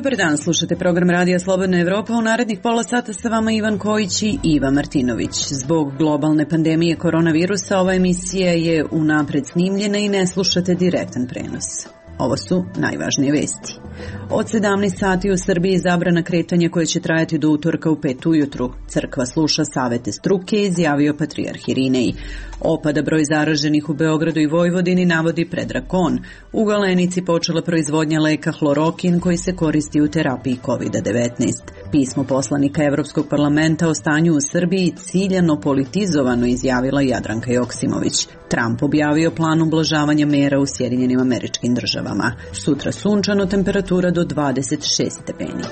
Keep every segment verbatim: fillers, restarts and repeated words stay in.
Dobar dan, slušate program Radija Slobodna Evropa. U narednih pola sata sa vama Ivan Kojić i Iva Martinović. Zbog globalne pandemije koronavirusa ova emisija je unapred snimljena i ne slušate direktan prenos. Ovo su najvažnije vesti. Od sedamnaest sati u Srbiji zabrana kretanja koja će trajati do utorka u pet ujutru. Crkva sluša savete struke, izjavio patrijarh Irinej. Opada broj zaraženih u Beogradu i Vojvodini, navodi Predrag Kon. U Galenici počela proizvodnja leka hlorokin koji se koristi u terapiji kovid devetnaest. Pismo poslanika Evropskog parlamenta o stanju u Srbiji ciljano politizovano, izjavila Jadranka Joksimović. Trump objavio plan ublažavanja mera u Sjedinjenim Američkim Državama. Sutra sunčano, temperatura do dvadeset šest stepeni.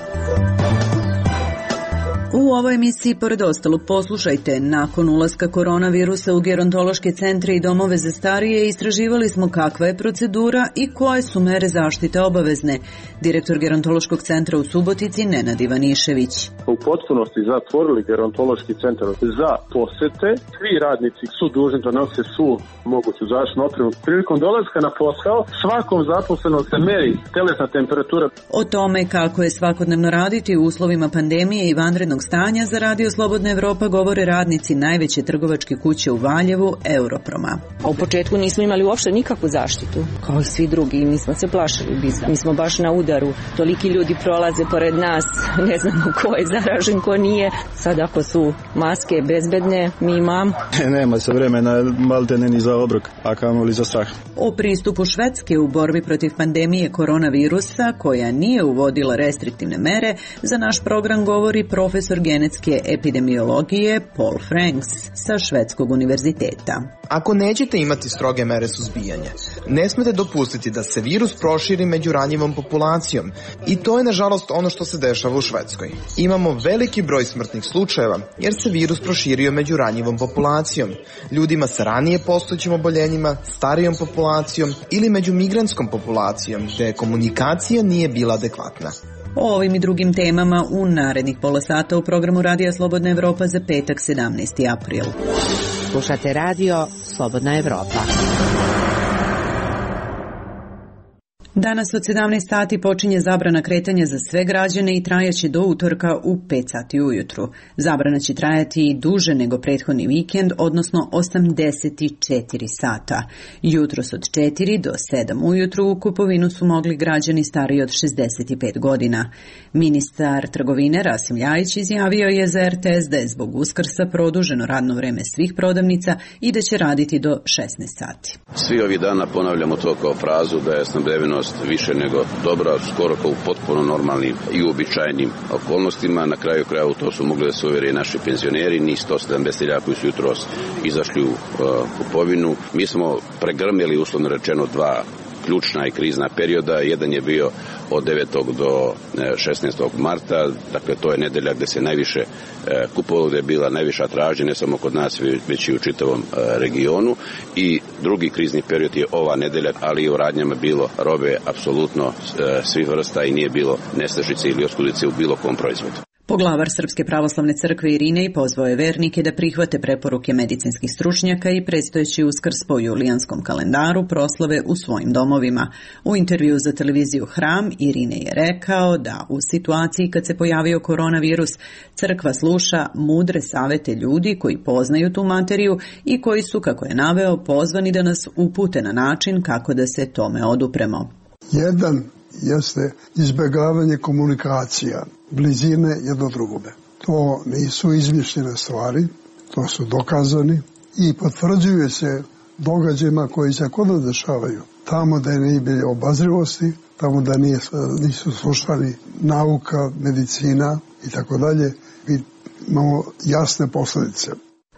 U ovoj emisiji, pored ostalog, poslušajte, nakon ulaska koronavirusa u gerontološke centre i domove za starije, istraživali smo kakva je procedura i koje su mere zaštite obavezne. Direktor gerontološkog centra u Subotici, Nenad Ivanišević. U potpunosti zatvorili gerontološki centar za posete. Svi radnici su dužni da nose svu moguću zaštitnu opremu. Prilikom dolaska na posao, svakom zaposlenom se meri telesna temperatura. O tome kako je svakodnevno raditi u uslovima pandemije i vanrednog stanja za Radio Slobodna Evropa govore radnici najveće trgovačke kuće u Valjevu, Europroma. U početku nismo imali uopšte nikakvu zaštitu, kao i svi drugi, mi smo se plašili bizna. Mi smo baš na udaru, toliki ljudi prolaze pored nas, ne znamo ko je zaražen, ko nije. Sad ako su maske bezbedne, mi imamo. Nema se vremena maltene ni za obrok, a kamoli za strah. O pristupu Švedske u borbi protiv pandemije koronavirusa, koja nije uvodila restriktivne mere, za naš program govori profesor genetske epidemiologije Paul Franks sa Švedskog univerziteta. Ako nećete imati stroge mere suzbijanja, ne smete dopustiti da se virus proširi među ranjivom populacijom. I to je, nažalost, ono što se dešava u Švedskoj. Imamo veliki broj smrtnih slučajeva jer se virus proširio među ranjivom populacijom, ljudima sa ranije postojećim oboljenjima, starijom populacijom ili među migrantskom populacijom, gde komunikacija nije bila adekvatna. O ovim i drugim temama u narednih pola sata u programu Radija Slobodna Evropa za petak sedamnaesti april. Slušate Radio Slobodna Evropa. Danas od sedamnaest sati počinje zabrana kretanja za sve građane i trajaće do utorka u pet sati ujutru. Zabrana će trajati i duže nego prethodni vikend, odnosno osamdeset četiri sata. Jutros od četiri do sedam ujutru u kupovinu su mogli građani stariji od šezdeset pet godina. Ministar trgovine Rasim Ljajić izjavio je za er te es da je zbog Uskrsa produženo radno vreme svih prodavnica i da će raditi do šesnaest sati. Svi ovih dana ponavljamo to kao frazu da je snabdevenost više nego dobra, skoro kao u potpuno normalnim i uobičajenim okolnostima. Na kraju krajeva u to su mogli da se uvere naši penzioneri, ni sto sedamdeset hiljada koji su jutros izašli u uh, kupovinu. Mi smo pregrmili, uslovno rečeno, dva ključna i krizna perioda. Jedan je bio od devetog do šesnaestog marta, dakle to je nedelja gde se najviše e, kupovalo, gde je bila najviša tražnja, ne samo kod nas, već i u čitavom e, regionu. I drugi krizni period je ova nedelja, ali i u radnjama bilo robe apsolutno e, svih vrsta i nije bilo nestašice ili oskudice u bilo kom proizvodu. Poglavar Srpske pravoslavne crkve Irinej pozvao je vernike da prihvate preporuke medicinskih stručnjaka i predstojeći Uskrs po julijanskom kalendaru proslave u svojim domovima. U intervju za televiziju Hram Irinej je rekao da u situaciji kad se pojavio koronavirus, crkva sluša mudre savete ljudi koji poznaju tu materiju i koji su, kako je naveo, pozvani da nas upute na način kako da se tome odupremo. Jedan jeste izbjegavanje komunikacija, blizine jedno drugome. To nisu izmišljene stvari, to su dokazani i potvrđuju se događajima koji se kod nas dešavaju. Tamo da nije bilo obazrivosti, tamo da nije, nisu slušali nauka, medicina i tako dalje, imamo jasne posljedice.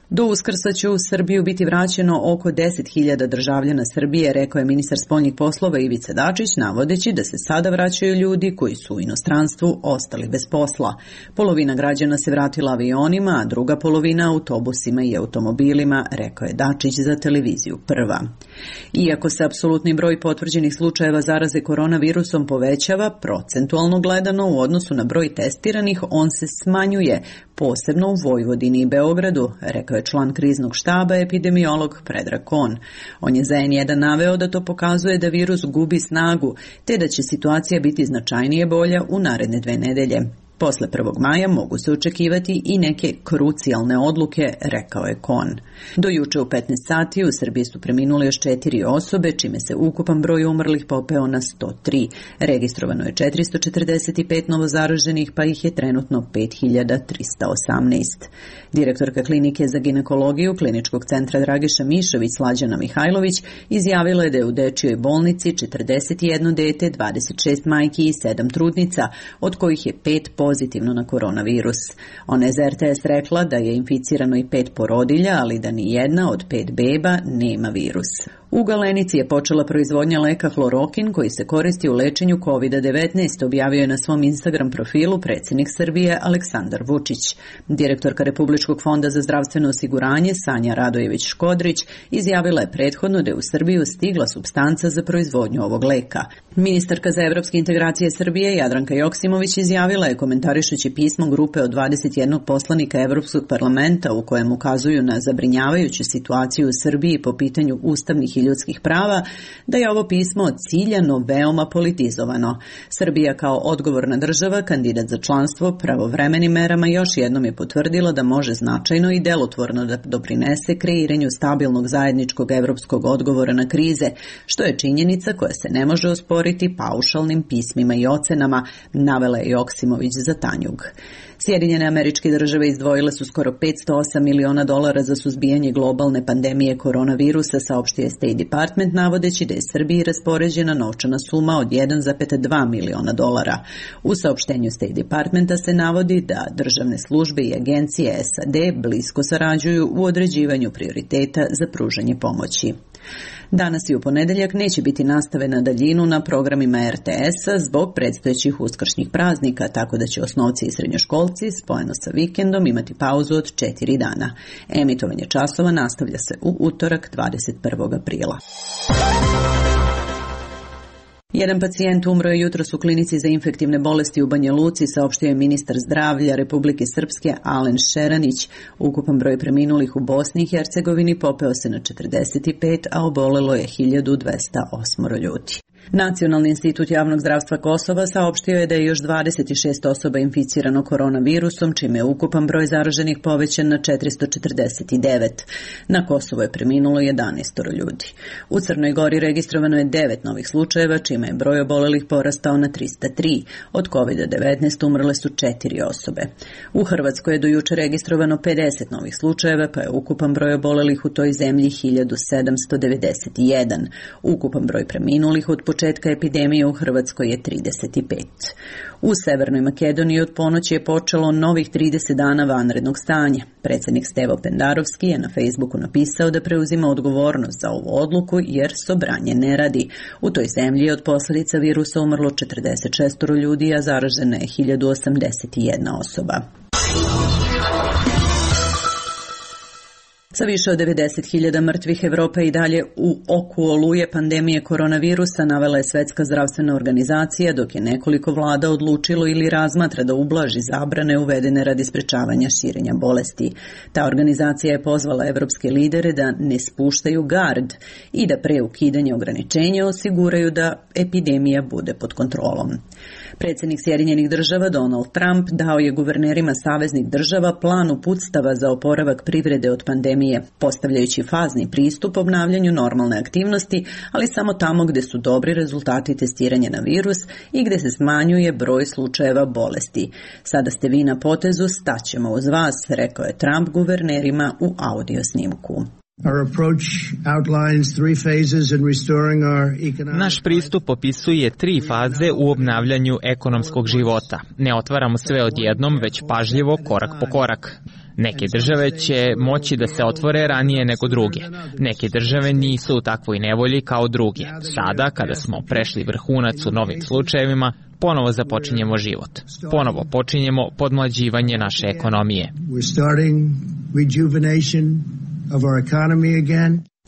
Do Uskrsa će u Srbiju biti vraćeno oko deset hiljada državljana Srbije, rekao je ministar spoljnih poslova Ivica Dačić, navodeći da se sada vraćaju ljudi koji su u inostranstvu ostali bez posla. Polovina građana se vratila avionima, a druga polovina autobusima i automobilima, rekao je Dačić za televiziju Prva. Iako se apsolutni broj potvrđenih slučajeva zaraze koronavirusom povećava, procentualno gledano u odnosu na broj testiranih, on se smanjuje, posebno u Vojvodini i Beogradu, rekao je član kriznog štaba epidemiolog Predrag Kon. On je za en jedan naveo da to pokazuje da virus gubi snagu, te da će situacija biti značajnije bolja u naredne dve nedelje. Posle prvog maja mogu se očekivati i neke krucijalne odluke, rekao je Kon. Do juče u petnaest sati u Srbiji su preminule još četiri osobe, čime se ukupan broj umrlih popeo na sto tri. Registrovano je četiristo četrdeset pet novozaraženih, pa ih je trenutno pet hiljada trista osamnaest. Direktorka klinike za ginekologiju Kliničkog centra Dragiša Mišović Slađana Mihajlović izjavila je da je u dečijoj bolnici četrdeset jedno dete, dvadeset šest majki i sedam trudnica, od kojih je pet pozitivno na koronavirus. Ona je za er te es rekla da je inficirano i pet porodilja, ali da ni jedna od pet beba nema virus. U Galenici je počela proizvodnja leka hlorokin koji se koristi u lečenju kovid devetnaest, objavio je na svom Instagram profilu predsjednik Srbije Aleksandar Vučić. Direktorka Republičkog fonda za zdravstveno osiguranje Sanja Radojević-Škodrić izjavila je prethodno da je u Srbiju stigla supstanca za proizvodnju ovog leka. Ministarka za evropske integracije Srbije Jadranka Joksimović izjavila je komentarišući pismo grupe od dvadeset jednog poslanika Evropskog parlamenta u kojem ukazuju na zabrinjavajuću situaciju u Srbiji po pitanju ustavnih i ljudskih prava, da je ovo pismo ciljano veoma politizovano. Srbija kao odgovorna država, kandidat za članstvo, pravovremenim merama još jednom je potvrdila da može značajno i delotvorno da doprinese kreiranju stabilnog zajedničkog evropskog odgovora na krize, što je činjenica koja se ne može osporiti paušalnim pismima i ocenama, navela je Joksimović za Tanjug. Sjedinjene Američke Države izdvojile su skoro petsto osam miliona dolara za suzbijanje globalne pandemije koronavirusa, saopštio je State Department, navodeći da je Srbiji raspoređena novčana suma od jedan zarez dva miliona dolara. U saopštenju State Departmenta se navodi da državne službe i agencije es a de blisko sarađuju u određivanju prioriteta za pružanje pomoći. Danas i u ponedeljak neće biti nastave na daljinu na programima er te es-a zbog predstojećih uskršnjih praznika, tako da će osnovci i srednjoškolci spojeno sa vikendom imati pauzu od četiri dana. Emitovanje časova nastavlja se u utorak dvadeset prvog aprila. Jedan pacijent umro je jutros u klinici za infektivne bolesti u Banja Luci, saopštio je ministar zdravlja Republike Srpske Alen Šeranić. Ukupan broj preminulih u Bosni i Hercegovini popeo se na četrdeset pet, a obolelo je hiljadu dvesta osam ljudi. Nacionalni institut javnog zdravstva Kosova saopštio je da je još dvadeset šest osoba inficirano koronavirusom, čime je ukupan broj zaraženih povećan na četiristo četrdeset devet. Na Kosovu je preminulo jedanaest ljudi. U Crnoj Gori registrovano je devet novih slučajeva, čime je broj obolelih porastao na trista tri. Od kovid devetnaest umrle su četiri osobe. U Hrvatskoj je do juče registrovano pedeset novih slučajeva, pa je ukupan broj obolelih u toj zemlji hiljadu sedamsto devedeset jedan. Ukupan broj preminulih od početka epidemije u Hrvatskoj je trideset pet. U Severnoj Makedoniji od ponoći je počelo novih trideset dana vanrednog stanja. Predsjednik Stevo Pendarovski je na Facebooku napisao da preuzima odgovornost za ovu odluku jer sobranje ne radi. U toj zemlji je od posljedica virusa umrlo četrdeset šest ljudi, a zaražena je hiljadu osamdeset jedna osoba. Sa više od devedeset hiljada mrtvih Evropa i dalje u oku oluje pandemije koronavirusa, navela je Svetska zdravstvena organizacija, dok je nekoliko vlada odlučilo ili razmatra da ublaži zabrane uvedene radi sprečavanja širenja bolesti. Ta organizacija je pozvala evropske lidere da ne spuštaju gard i da pre ukidanja ograničenja osiguraju da epidemija bude pod kontrolom. Predsjednik Sjedinjenih država Donald Trump dao je guvernerima saveznih država plan uputstava za oporavak privrede od pandemije, postavljajući fazni pristup obnavljanju normalne aktivnosti, ali samo tamo gde su dobri rezultati testiranja na virus i gde se smanjuje broj slučajeva bolesti. Sada ste vi na potezu, staćemo uz vas, rekao je Trump guvernerima u audio snimku. Naš pristup opisuje tri faze u obnavljanju ekonomskog života. Ne otvaramo sve odjednom, već pažljivo, korak po korak. Neke države će moći da se otvore ranije nego druge. Neke države nisu u takvoj nevolji kao druge. Sada, kada smo prešli vrhunac u novim slučajevima, ponovo započinjemo život. Ponovo počinjemo podmlađivanje naše ekonomije.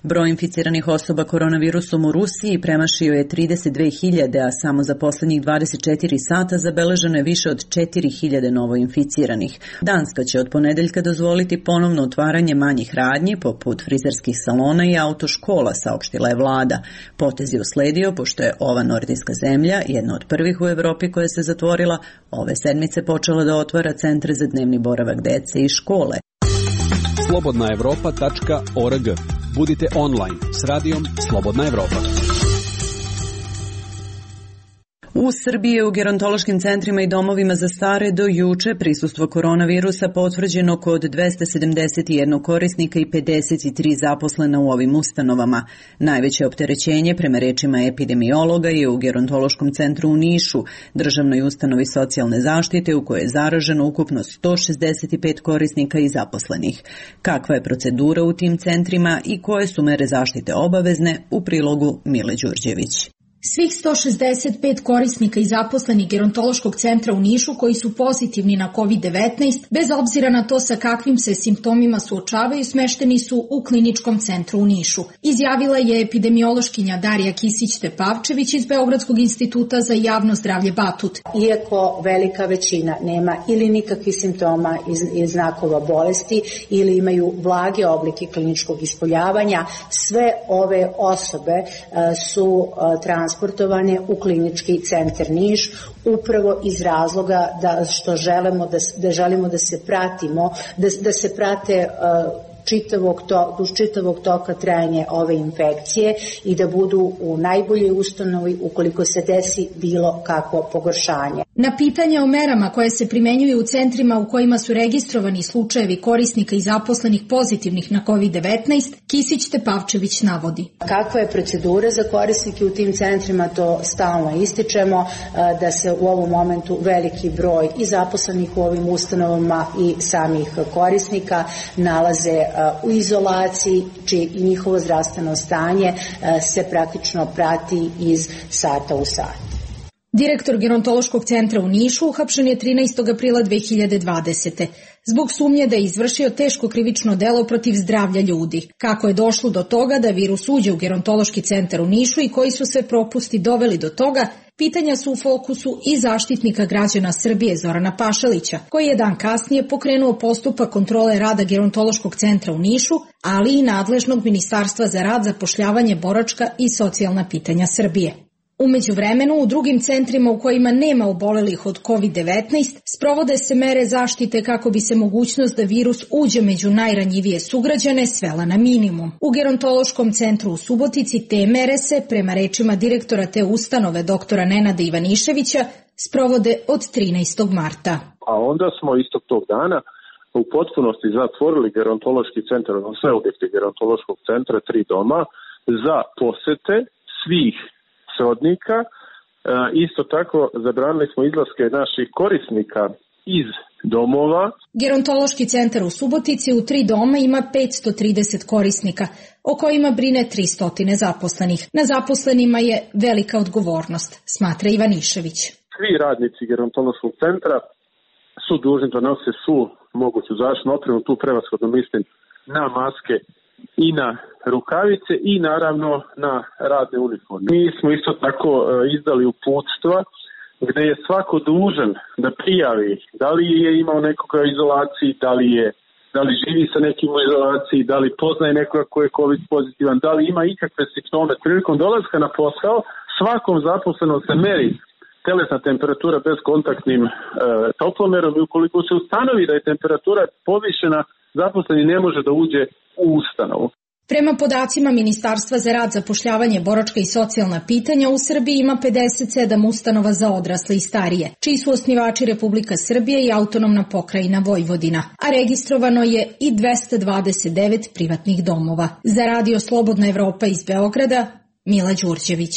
Broj inficiranih osoba koronavirusom u Rusiji premašio je trideset dve hiljade, a samo za poslednjih dvadeset četiri sata zabeleženo je više od četiri hiljade novoinficiranih. Danska će od ponedeljka dozvoliti ponovno otvaranje manjih radnji, poput frizerskih salona i autoškola, saopštila je vlada. Potez je usledio, pošto je ova nordijska zemlja, jedna od prvih u Evropi koja se zatvorila, ove sedmice počela da otvara centre za dnevni boravak dece i škole. slobodna evropa tačka org. Budite online s radijom Slobodna Evropa. U Srbiji je u gerontološkim centrima i domovima za stare do juče prisustvo koronavirusa potvrđeno kod dvesta sedamdeset jedan korisnika i pedeset tri zaposlena u ovim ustanovama. Najveće opterećenje, prema rečima epidemiologa, je u gerontološkom centru u Nišu, državnoj ustanovi socijalne zaštite u kojoj je zaraženo ukupno sto šezdeset pet korisnika i zaposlenih. Kakva je procedura u tim centrima i koje su mere zaštite obavezne, u prilogu Mile Đurđević. Svih sto šezdeset pet korisnika i zaposlenih gerontološkog centra u Nišu koji su pozitivni na kovid devetnaest, bez obzira na to sa kakvim se simptomima suočavaju, smešteni su u kliničkom centru u Nišu. Izjavila je epidemiološkinja Darija Kisić-Tepavčević iz Beogradskog instituta za javno zdravlje Batut. Iako velika većina nema ili nikakvih simptoma i znakova bolesti ili imaju blage oblike kliničkog ispoljavanja, sve ove osobe su transportovane transportovane u klinički centar Niš upravo iz razloga da što želimo da, da želimo da se pratimo, da, da se prate uh, čitavog, to, duž čitavog toka trajanja ove infekcije i da budu u najboljoj ustanovi ukoliko se desi bilo kakvo pogoršanje. Na pitanje o merama koje se primenjuju u centrima u kojima su registrovani slučajevi korisnika i zaposlenih pozitivnih na kovid devetnaest, Kisić-Tepavčević navodi. Kakva je procedura za korisnike u tim centrima, to stalno ističemo, da se u ovom momentu veliki broj i zaposlenih u ovim ustanovama i samih korisnika nalaze u izolaciji, čije i njihovo zdravstveno stanje se praktično prati iz sata u sat. Direktor gerontološkog centra u Nišu uhapšen je trinaestog aprila dve hiljade dvadesete. zbog sumnje da je izvršio teško krivično delo protiv zdravlja ljudi. Kako je došlo do toga da virus uđe u gerontološki centar u Nišu i koji su sve propusti doveli do toga, pitanja su u fokusu i Zaštitnika građana Srbije Zorana Pašalića, koji je dan kasnije pokrenuo postupak kontrole rada gerontološkog centra u Nišu, ali i nadležnog Ministarstva za rad, zapošljavanje, boračka i socijalna pitanja Srbije. Umeđu vremenu, u drugim centrima u kojima nema obolelih od kovid devetnaest, sprovode se mere zaštite kako bi se mogućnost da virus uđe među najranjivije sugrađane svela na minimum. U gerontološkom centru u Subotici te mere se, prema rečima direktora te ustanove doktora Nenada Ivaniševića, sprovode od trinaestog marta. A onda smo istog tog dana u potpunosti zatvorili gerontološki centar, sve objekte gerontološkog centra, tri doma, za posete svih srodnika. Isto tako zabranili smo izlaske naših korisnika iz domova. Gerontološki centar u Subotici u tri doma ima petsto trideset korisnika, o kojima brine tristo zaposlenih. Na zaposlenima je velika odgovornost, smatra Ivanišević. Svi radnici gerontološkog centra su dužni da nose svu moguću zaštitnu opremu, tu prevashodno mislim na maske i na rukavice i naravno na radne uniforme. Mi smo isto tako izdali uputstva gde je svako dužan da prijavi da li je imao nekoga u izolaciji, da li je da li živi sa nekim u izolaciji, da li poznaje nekoga ko je COVID pozitivan, da li ima ikakve simptome. Prilikom dolaska na posao svakom zaposlenom se meri telesna temperatura bez kontaktnim e, toplomerom i ukoliko se ustanovi da je temperatura povišena, zaposleni ne može da uđe u ustanovu. Prema podacima Ministarstva za rad, zapošljavanje, boračka i socijalna pitanja, u Srbiji ima pedeset sedam ustanova za odrasle i starije, čiji su osnivači Republika Srbije i autonomna pokrajina Vojvodina, a registrovano je i dvesta dvadeset devet privatnih domova. Za Radio Slobodna Evropa iz Beograda, Mila Đurđević.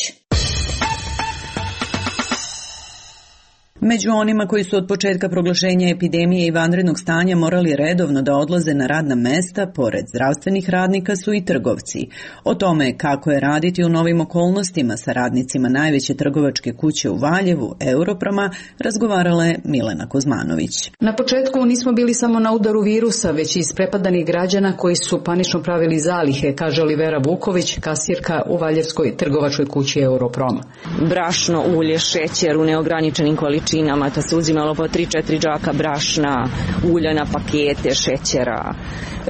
Među onima koji su od početka proglašenja epidemije i vanrednog stanja morali redovno da odlaze na radna mesta, pored zdravstvenih radnika su i trgovci. O tome kako je raditi u novim okolnostima sa radnicima najveće trgovačke kuće u Valjevu, Europroma, razgovarala je Milena Kuzmanović. Na početku nismo bili samo na udaru virusa, već i isprepadanih građana koji su panično pravili zalihe, kaže Olivera Vuković, kasirka u Valjevskoj trgovačkoj kući Europroma. Brašno, ulje, šećer u neograničenim količinama, to se uzimalo po tri četiri džaka brašna, ulja na pakete, šećera.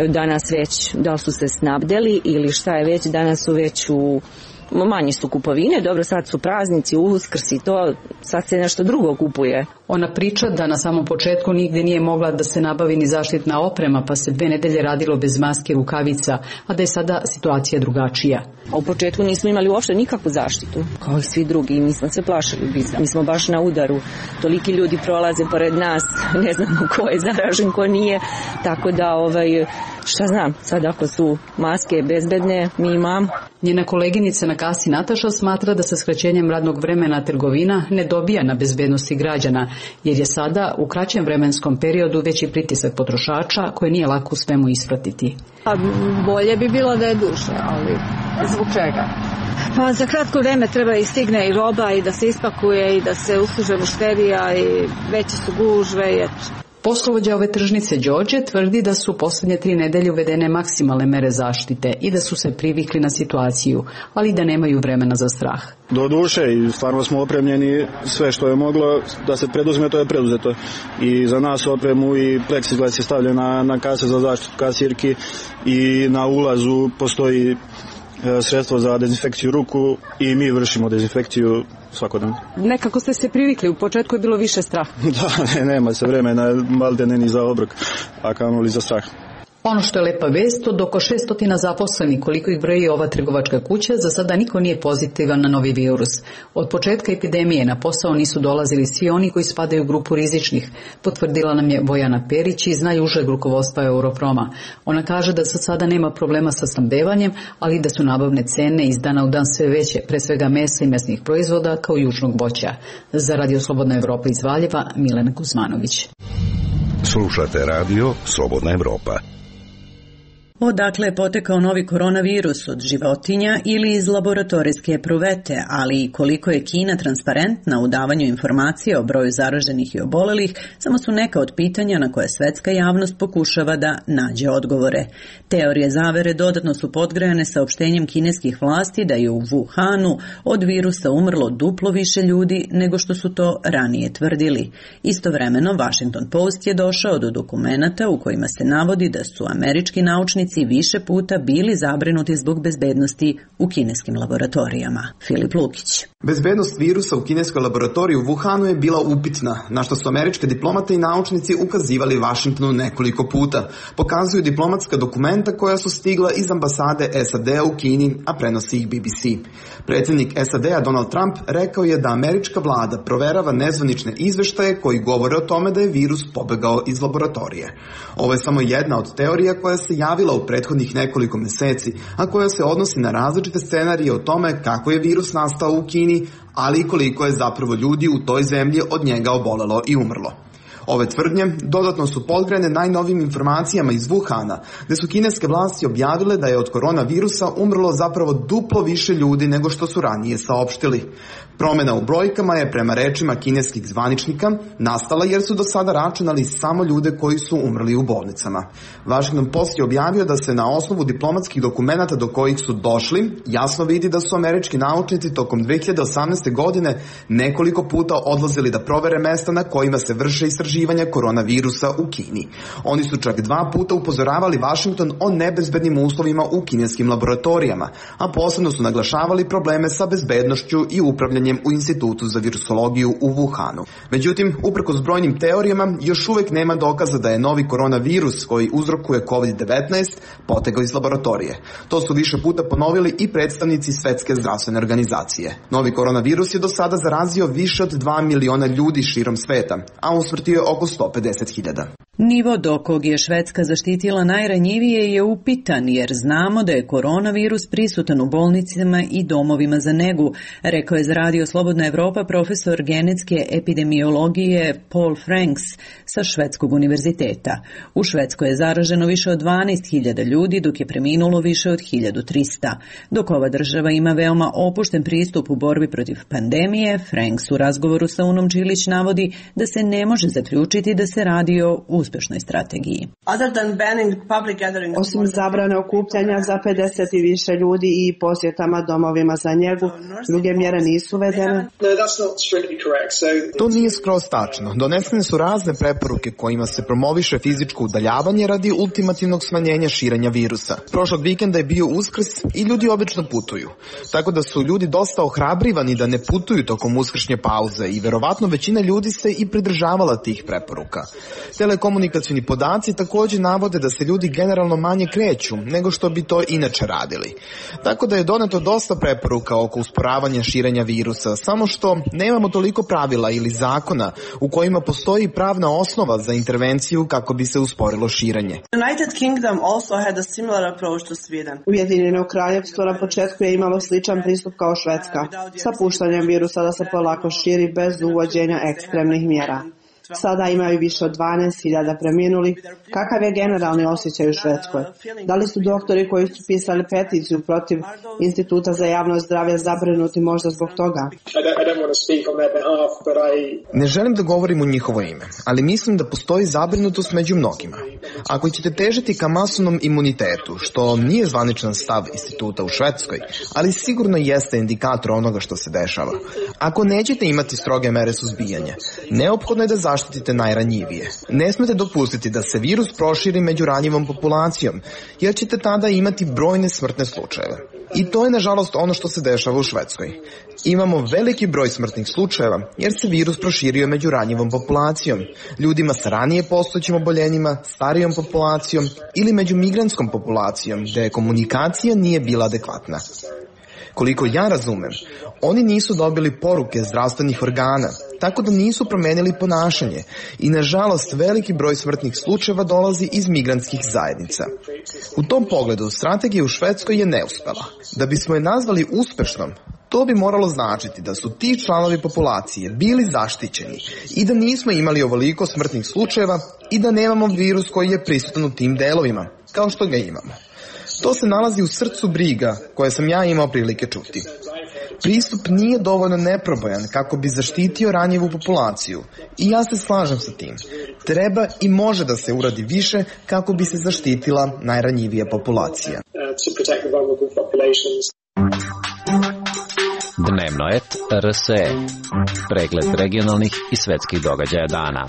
Danas već, da li su se snabdeli ili šta je već, danas su već u manji su kupovine, dobro, sad su praznici, Uskrs i to, sad se nešto drugo kupuje. Ona priča da na samom početku nigde nije mogla da se nabavi ni zaštitna oprema, pa se dve nedelje radilo bez maske, rukavica, a da je sada situacija drugačija. A u početku nismo imali uopšte nikakvu zaštitu, kao i svi drugi, mi smo se plašili biza. Mi smo baš na udaru, toliki ljudi prolaze pored nas, ne znamo ko je zaražen, ko nije, tako da, ovaj, šta znam, sad ako su maske bezbedne, mi imamo. Njena koleginica na kasi Nataša smatra da sa skraćenjem radnog vremena trgovina ne dobija na bezbednosti građana, jer je sada u kraćem vremenskom periodu veći pritisak potrošača koje nije lako u svemu ispratiti. A bolje bi bilo da je duže, ali zbog čega? Pa za kratko vreme treba i stigne i roba i da se ispakuje i da se usluže mušterija i veće su gužve i eto. Poslovođa ove tržnice Đorđe tvrdi da su poslednje tri nedelje uvedene maksimalne mere zaštite i da su se privikli na situaciju, ali da nemaju vremena za strah. Do duše i stvarno smo opremljeni, sve što je moglo da se preduzme, to je preduzeto. I za nas opremu i pleksiglas je stavljen na, na kase za zaštitu kasirki i na ulazu postoji sredstvo za dezinfekciju ruku i mi vršimo dezinfekciju svakodnevno. Nekako ste se privikli, u početku je bilo više straha. Da, ne, nema se vremena, malde ne ni za obrok, a kamoli za strah. Ono što je lepa vest, od oko šesto zaposlenih koliko ih broji ova trgovačka kuća, za sada niko nije pozitivan na novi virus. Od početka epidemije na posao nisu dolazili svi oni koji spadaju u grupu rizičnih, potvrdila nam je Bojana Perić iz najužeg rukovodstva Europroma. Ona kaže da za sada nema problema sa snabdevanjem, ali da su nabavne cene iz dana u dan sve veće, pre svega mesa i mesnih proizvoda kao južnog voća. Za Radio Slobodna Evropa iz Valjeva, Milena Kuzmanović. Slušate Radio Slobodna Evropa. Odakle je potekao novi koronavirus, od životinja ili iz laboratorijske epruvete, ali i koliko je Kina transparentna u davanju informacija o broju zaraženih i obolelih, samo su neka od pitanja na koje svetska javnost pokušava da nađe odgovore. Teorije zavere dodatno su podgrejane saopštenjem kineskih vlasti da je u Wuhanu od virusa umrlo duplo više ljudi nego što su to ranije tvrdili. Istovremeno, Washington Post je došao do dokumenata u kojima se navodi da su američki naučnici više puta bili zabrinuti zbog bezbednosti u kineskim laboratorijama. Filip Lukić. Bezbednost virusa u kineskoj laboratoriji u Wuhanu je bila upitna, na što su američke diplomate i naučnici ukazivali Vašingtonu nekoliko puta. Pokazuju diplomatska dokumenta koja su stigla iz ambasade S A D-a u Kini, a prenosi ih B B C. Predsjednik S A D-a Donald Trump rekao je da američka vlada proverava nezvanične izveštaje koji govore o tome da je virus pobegao iz laboratorije. Ovo je samo jedna od teorija koja se javila u prethodnih nekoliko meseci, a koja se odnosi na različite scenarije o tome kako je virus nastao u Kini, ali i koliko je zapravo ljudi u toj zemlji od njega obolelo i umrlo. Ove tvrdnje dodatno su podgrejane najnovijim informacijama iz Wuhana, gde su kineske vlasti objavile da je od koronavirusa umrlo zapravo duplo više ljudi nego što su ranije saopštili. Promjena u brojkama je, prema rečima kineskih zvaničnika, nastala jer su do sada računali samo ljude koji su umrli u bolnicama. Washington Post je objavio da se na osnovu diplomatskih dokumenata do kojih su došli jasno vidi da su američki naučnici tokom dve hiljade osamnaeste. godine nekoliko puta odlazili da provere mesta na kojima se vrše istraživanja koronavirusa u Kini. Oni su čak dva puta upozoravali Washington o nebezbednim uslovima u kineskim laboratorijama, a posebno su naglašavali probleme sa bezbednošću i upravljanjem u Institutu za virusologiju u Wuhanu. Međutim, uprkos brojnim teorijama, još uvek nema dokaza da je novi koronavirus koji uzrokuje kovid devetnaest potegao iz laboratorije. To su više puta ponovili i predstavnici Svetske zdravstvene organizacije. Novi koronavirus je do sada zarazio više od dva miliona ljudi širom sveta, a usmrtio je oko sto pedeset hiljada. Nivo do kog je Švedska zaštitila najranjivije je upitan, jer znamo da je koronavirus prisutan u bolnicama i domovima za negu, rekao je za Radio Radio Slobodna Evropa profesor genetske epidemiologije Paul Franks sa Švedskog univerziteta. U Švedskoj je zaraženo više od dvanaest hiljada ljudi, dok je preminulo više od hiljadu trista. Dok ova država ima veoma opušten pristup u borbi protiv pandemije, Franks u razgovoru sa Unom Čilić navodi da se ne može zaključiti da se radi o uspešnoj strategiji. Osim zabrane okupljanja za pedeset i više ljudi i posjetama domovima za njegu, druge mjere nisu uvedene. To nije skroz tačno. Donesene su razne preporuke kojima se promoviše fizičko udaljavanje radi ultimativnog smanjenja širenja virusa. Prošlog vikenda je bio Uskrs i ljudi obično putuju. Tako da su ljudi dosta ohrabrivani da ne putuju tokom uskršnje pauze i verovatno većina ljudi se i pridržavala tih preporuka. Telekomunikacioni podaci također navode da se ljudi generalno manje kreću nego što bi to inače radili. Tako da je doneto dosta preporuka oko usporavanja širenja virusa, samo što nemamo toliko pravila ili zakona u kojima postoji pravna osnova za intervenciju kako bi se usporilo širenje. Ujedinjeno kraljevstvo na početku je imalo sličan pristup kao Švedska, sa puštanjem virusa da se polako širi bez uvođenja ekstremnih mjera. Sada imaju više od dvanaest hiljada preminulih. Kakav je generalni osjećaj u Švedskoj? Da li su doktori koji su pisali peticiju protiv Instituta za javno zdravlje zabrinuti možda zbog toga? Ne želim da govorim u njihovo ime, ali mislim da postoji zabrinutost među mnogima. Ako ćete težiti ka masovnom imunitetu, što nije zvaničan stav instituta u Švedskoj, ali sigurno jeste indikator onoga što se dešava. Ako nećete imati stroge mere suzbijanja, neophodno je da zaštitite najranjivije. Ne smete dopustiti da se virus proširi među ranjivom populacijom, jer ćete tada imati brojne smrtne slučajeve. I to je nažalost ono što se dešava u Švedskoj. Imamo veliki broj smrtnih slučajeva jer se virus proširio među ranjivom populacijom, ljudima sa ranije postojećim oboljenjima, starijom populacijom ili među migrantskom populacijom gde komunikacija nije bila adekvatna. Koliko ja razumem, oni nisu dobili poruke zdravstvenih organa, tako da nisu promenili ponašanje i nažalost veliki broj smrtnih slučajeva dolazi iz migrantskih zajednica. U tom pogledu strategija u Švedskoj je neuspela. Da bismo je nazvali uspešnom, to bi moralo značiti da su ti članovi populacije bili zaštićeni i da nismo imali ovoliko smrtnih slučajeva i da nemamo virus koji je prisutan u tim delovima, kao što ga imamo. To se nalazi u srcu briga koje sam ja imao prilike čuti. Pristup nije dovoljno neprobojan kako bi zaštitio ranjivu populaciju i ja se slažem sa tim. Treba i može da se uradi više kako bi se zaštitila najranjivija populacija. Dnevno et R S E. Pregled regionalnih i svetskih događaja dana.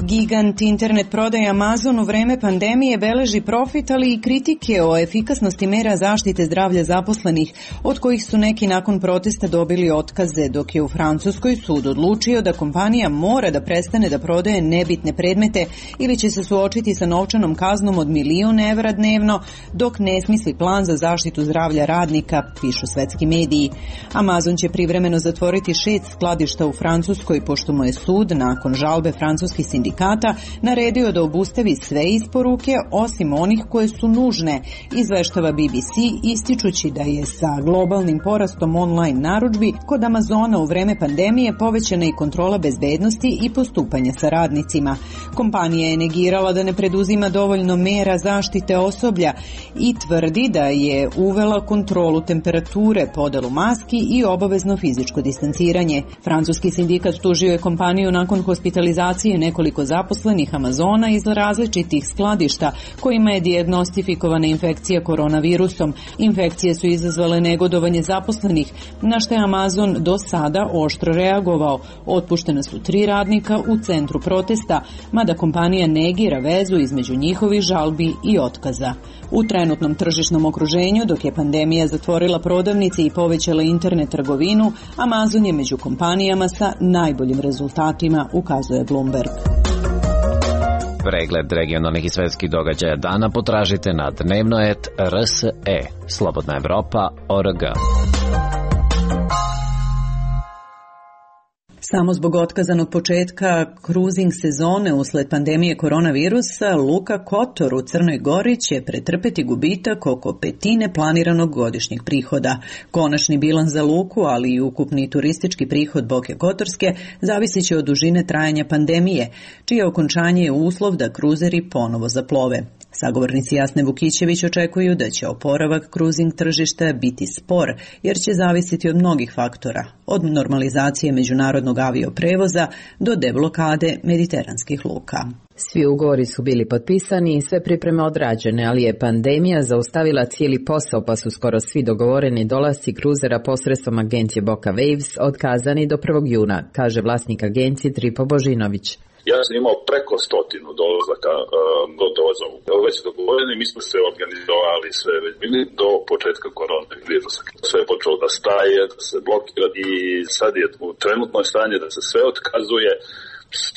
Gigant internet prodaje Amazon u vreme pandemije beleži profit, ali i kritike o efikasnosti mera zaštite zdravlja zaposlenih, od kojih su neki nakon protesta dobili otkaze, dok je u Francuskoj sud odlučio da kompanija mora da prestane da prodaje nebitne predmete ili će se suočiti sa novčanom kaznom od milion evra dnevno, dok ne smisli plan za zaštitu zdravlja radnika, pišu svetski mediji. Amazon će privremeno zatvoriti šest skladišta u Francuskoj, pošto mu je sud, nakon žalbe francuskih sindikata, naredio da obustavi sve isporuke osim onih koje su nužne, izveštava B B C, ističući da je sa globalnim porastom online narudžbi kod Amazona u vreme pandemije povećana i kontrola bezbednosti i postupanja sa radnicima. Kompanija je negirala da ne preduzima dovoljno mera zaštite osoblja i tvrdi da je uvela kontrolu temperature, podelu maski i obavezno fizičko distanciranje. Francuski sindikat tužio je kompaniju nakon hospitalizacije nekoliko zaposlenih Amazona iz različitih skladišta kojima je dijagnostifikovana infekcija koronavirusom. Infekcije su izazvale negodovanje zaposlenih, na što je Amazon do sada oštro reagovao. Otpuštena su tri radnika u centru protesta, mada kompanija negira vezu između njihovih žalbi i otkaza. U trenutnom tržišnom okruženju, dok je pandemija zatvorila prodavnice i povećala internet trgovinu, Amazon je među kompanijama sa najboljim rezultatima, ukazuje Bloomberg. Pregled regionalnih i svetskih događaja dana potražite na dnevno et R S E, Slobodna Evropa, O R G. Samo zbog otkazanog početka kruzing sezone usled pandemije koronavirusa, Luka Kotor u Crnoj Gori će pretrpeti gubitak oko petine planiranog godišnjeg prihoda. Konačni bilans za luku, ali i ukupni turistički prihod Boke Kotorske zavisit će od dužine trajanja pandemije, čije okončanje je uslov da kruzeri ponovo zaplove. Sagovornici Jasne Vukićević očekuju da će oporavak kruzing tržišta biti spor, jer će zavisiti od mnogih faktora, od normalizacije međunarodnog avioprevoza do deblokade mediteranskih luka. Svi ugovori su bili potpisani i sve pripreme odrađene, ali je pandemija zaustavila cijeli posao, pa su skoro svi dogovoreni dolasci kruzera posredstvom agencije Boka Waves otkazani do prvog juna, kaže vlasnik agencije Tripo Božinović. Ja sam imao preko stotinu dolazaka gotovo za ovu. Već dogovoreni, mi smo se organizovali sve već bili do početka koronavirusa. Sve je počelo da staje, da se blokira i sad je u trenutnoj stanje da se sve otkazuje.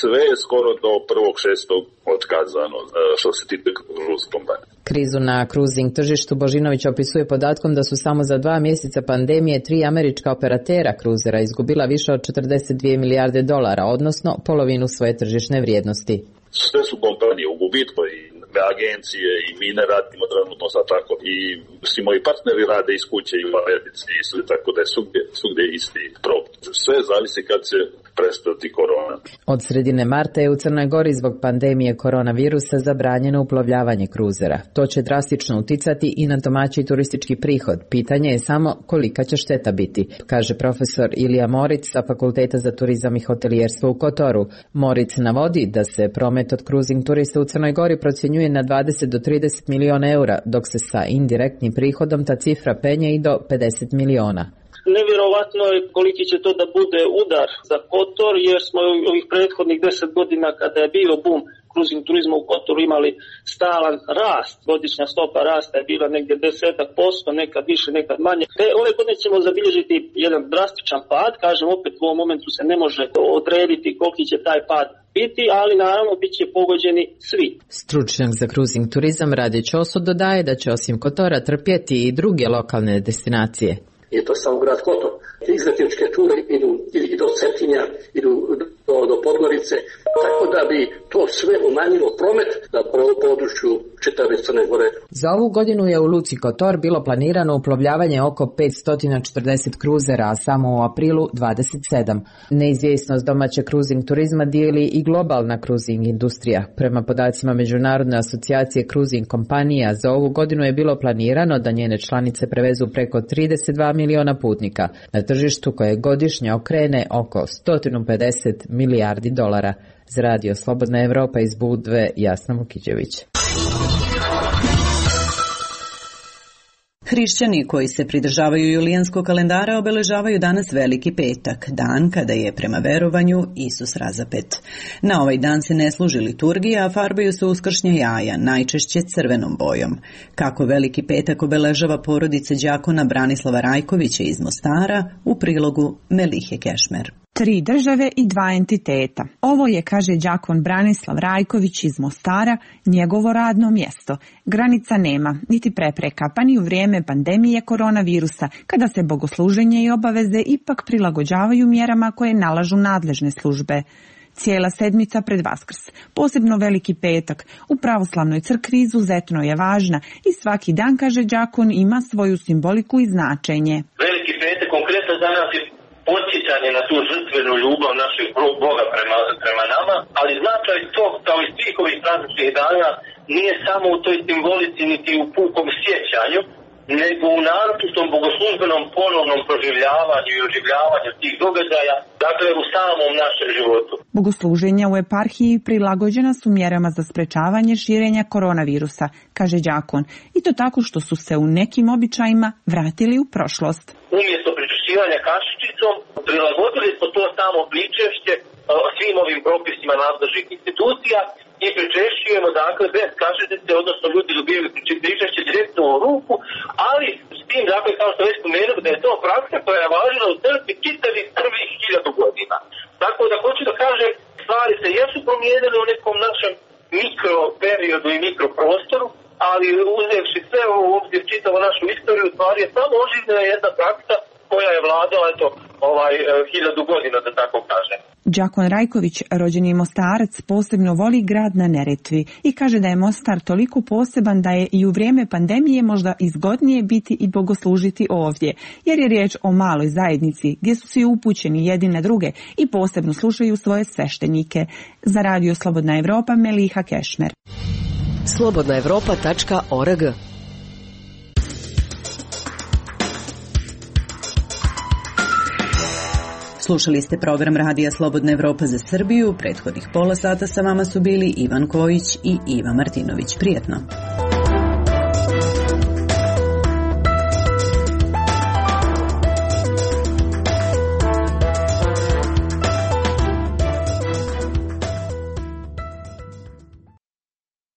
Sve je skoro do prvog šestog otkazano što se tiče kruzing kompanije. Krizu na kruzing tržištu Božinović opisuje podatkom da su samo za dva mjeseca pandemije tri američka operatera kruzera izgubila više od četrdeset dvije milijarde dolara, odnosno polovinu svoje tržišne vrijednosti. Sve su kompanije u gubitku i agencije i mi ne radimo trenutno za tako i svi moji partneri rade iz kuće i u Americi i sve, tako da je svugdje, svugdje isti problem. Sve zavisi kad će prestati korona. Od sredine marta je u Crnoj Gori zbog pandemije koronavirusa zabranjeno uplovljavanje kruzera. To će drastično uticati i na domaći turistički prihod. Pitanje je samo kolika će šteta biti, kaže profesor Ilija Moric sa Fakulteta za turizam i hotelijerstvo u Kotoru. Moric navodi da se promet od kruzing turista u Crnoj Gori procjenjuje na dvadeset do trideset miliona eura, dok se sa indirektnim prihodom ta cifra penje i do pedeset miliona. Nevjerovatno je koliki će to da bude udar za Kotor, jer smo ovih prethodnih deset godina kada je bio bum kruzing turizma u Kotoru imali stalan rast. Godišnja stopa rasta je bila negdje desetak posto, nekad više, nekad manje. Te ove godine ćemo zabilježiti jedan drastičan pad, kažem opet u ovom momentu se ne može odrediti koliki će taj pad biti, ali naravno bit će pogođeni svi. Stručnjak za kruzing turizam Rade Ćoso dodaje da će osim Kotora trpjeti i druge lokalne destinacije. Je to samo grad Kotor. Izletničke ture idu i do Cetinja, idu do, do Podgorice, tako da bi to sve umanjilo promet na području čitave Crne Gore. Za ovu godinu je u luci Kotor bilo planirano uplovljavanje oko petsto četrdeset kruzera, a samo u aprilu dvadeset sedam. Neizvjesnost domaće kruzing turizma dijeli i globalna kruzing industrija. Prema podacima Međunarodne asocijacije kruzing kompanija, za ovu godinu je bilo planirano da njene članice prevezu preko trideset dva miliona putnika na tržištu koje godišnje okrene oko sto pedeset milijardi dolara. Za Radio Slobodna Evropa iz Budve, Jasna Vukićević. Hrišćani koji se pridržavaju julijanskog kalendara obeležavaju danas Veliki petak, dan kada je prema verovanju Isus razapet. Na ovaj dan se ne služi liturgija, a farbaju se uskršnja jaja, najčešće crvenom bojom. Kako Veliki petak obeležava porodica đakona Branislava Rajkovića iz Mostara, u prilogu Melihe Kešmer. Tri države i dva entiteta. Ovo je, kaže đakon Branislav Rajković iz Mostara, njegovo radno mjesto. Granica nema, niti prepreka, pa ni u vrijeme pandemije koronavirusa, kada se bogosluženje i obaveze ipak prilagođavaju mjerama koje nalažu nadležne službe. Cijela sedmica pred Vaskrs, posebno Veliki petak, u pravoslavnoj crkvi izuzetno je važna i svaki dan, kaže đakon, ima svoju simboliku i značenje. Veliki petak konkretno za nas je podsjećanje na tu žrtvenu ljubav našeg Boga prema, prema nama, ali značaj to, kao i svih ovih prazničnih dana, nije samo u toj simbolici niti u pukom sjećanju, nego u naročitom bogoslužbenom ponovnom proživljavanju i oživljavanju tih događaja, dakle u samom našem životu. Bogosluženja u eparhiji prilagođena su mjerama za sprečavanje širenja koronavirusa, kaže đakon, i to tako što su se u nekim običajima vratili u prošlost. Umjesto pričešćivanja kašičicom, prilagodili smo to samo pričešće svim ovim propisima nadležnih institucija i pričešćujemo, dakle, bez kašičice, odnosno ljudi dobijaju pričešće direktno u ruku, ali s tim, dakle, kao što već spomenuo, da je to praksa koja je važila u crkvi čitavih prvih hiljadu godina. Tako da hoću da kažem, stvari se jesu promijenile u nekom našem mikroperiodu i mikroprostoru, ali uzevši sve u obzir čitavu našu istoriju, stvari je samo oživljena jedna praksa koja je vladala eto ovaj hiljadu godina, da tako kažem. Đakon Rajković, rođeni Mostarac, posebno voli grad na Neretvi i kaže da je Mostar toliko poseban da je i u vrijeme pandemije možda izgodnije biti i bogoslužiti ovdje, jer je riječ o maloj zajednici gdje su svi upućeni jedni na druge i posebno slušaju svoje sveštenike. Za Radio Slobodna Evropa, Meliha Kešmer. slobodna evropa tačka org. Slušali ste program Radija Slobodna Evropa za Srbiju. Prethodnih pola sata sa vama su bili Ivan Kojić i Iva Martinović. Prijetno.